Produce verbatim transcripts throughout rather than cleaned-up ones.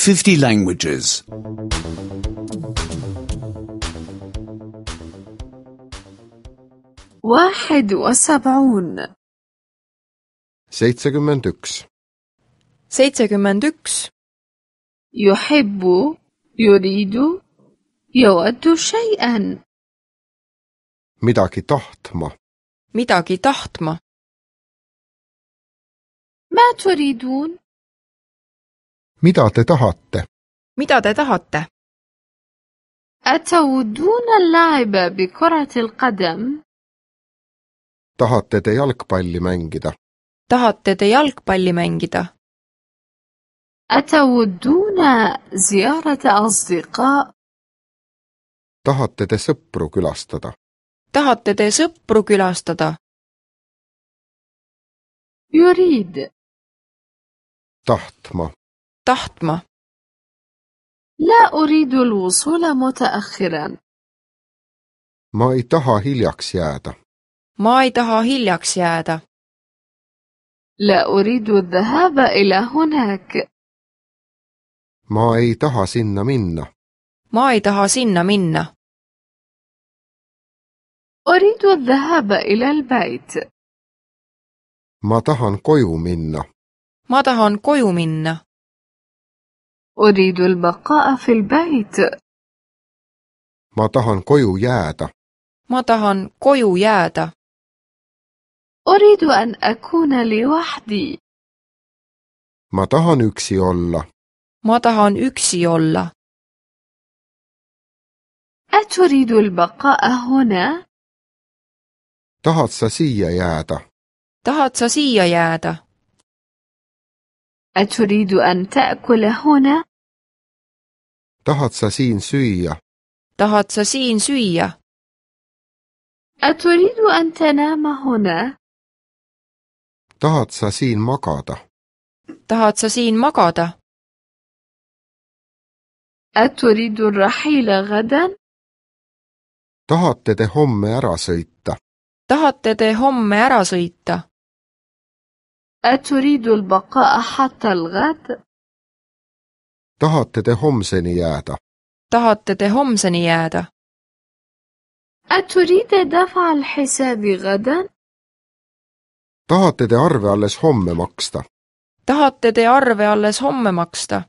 fifty languages. واحد وسبعون. seitsekümmend üks. seitsekümmend üks. يحب، يريد، يود شيئا. midagi tahtma. midagi tahtma. ما تريدون؟ mida te tahate? mida te tahate? أتودون اللعب بكرة القدم؟ tahate te jalgpalli mängida? tahate te jalgpalli mängida? أتودون زيارة أصدقاء؟ tahate te sõpru külastada? tahate te sõpru külastada? يريد. tahtma. tahtma. لا أريد الوصول متأخرا. ma ei taha hiljaks jääda. ma ei taha hiljaks jääda. لا أريد الذهاب إلى هناك. ma ei taha sinna minna. ma ei taha sinna minna. أريد الذهاب إلى البيت. ma tahan koju minna. ma tahan koju minna. أريد البقاء في البيت. ma tahan koju jääda. ma tahan koju jääda. أريد أن أكون لوحدي. ma tahan üksi olla. ma tahan üksi olla. أتريد البقاء هنا؟ tahad sa siia jääda? tahad sa siia jääda? أتريد أن تأكل هنا؟ tahad sa siin süüa? tahad sa siin süüa? أتريد أن تنام هنا؟ tahad sa siin magada? tahad sa siin magada? أتريد الرحيل غدا؟ tahate te homme ära sõita? tahate te homme ära sõita? أتريد البقاء حتى الغد؟ tahate te homseni jääda? tahate te homseni jääda? أتريد دفع الحساب غدا؟ tahate te arve alles homme maksta? tahate te arve alles homme maksta?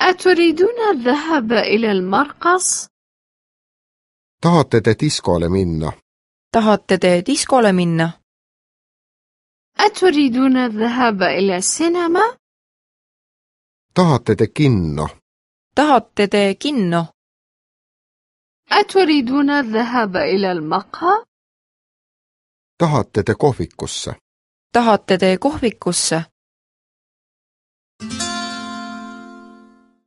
أتريدون الذهاب إلى المرقص؟ tahate te diskole minna? tahate te diskole minna? أتريدون الذهاب إلى السينما؟ tahate te kinno? tahate te kinno? أتريدون الذهاب إلى المقهى؟ tahate te kohvikusse? tahate te kohvikusse?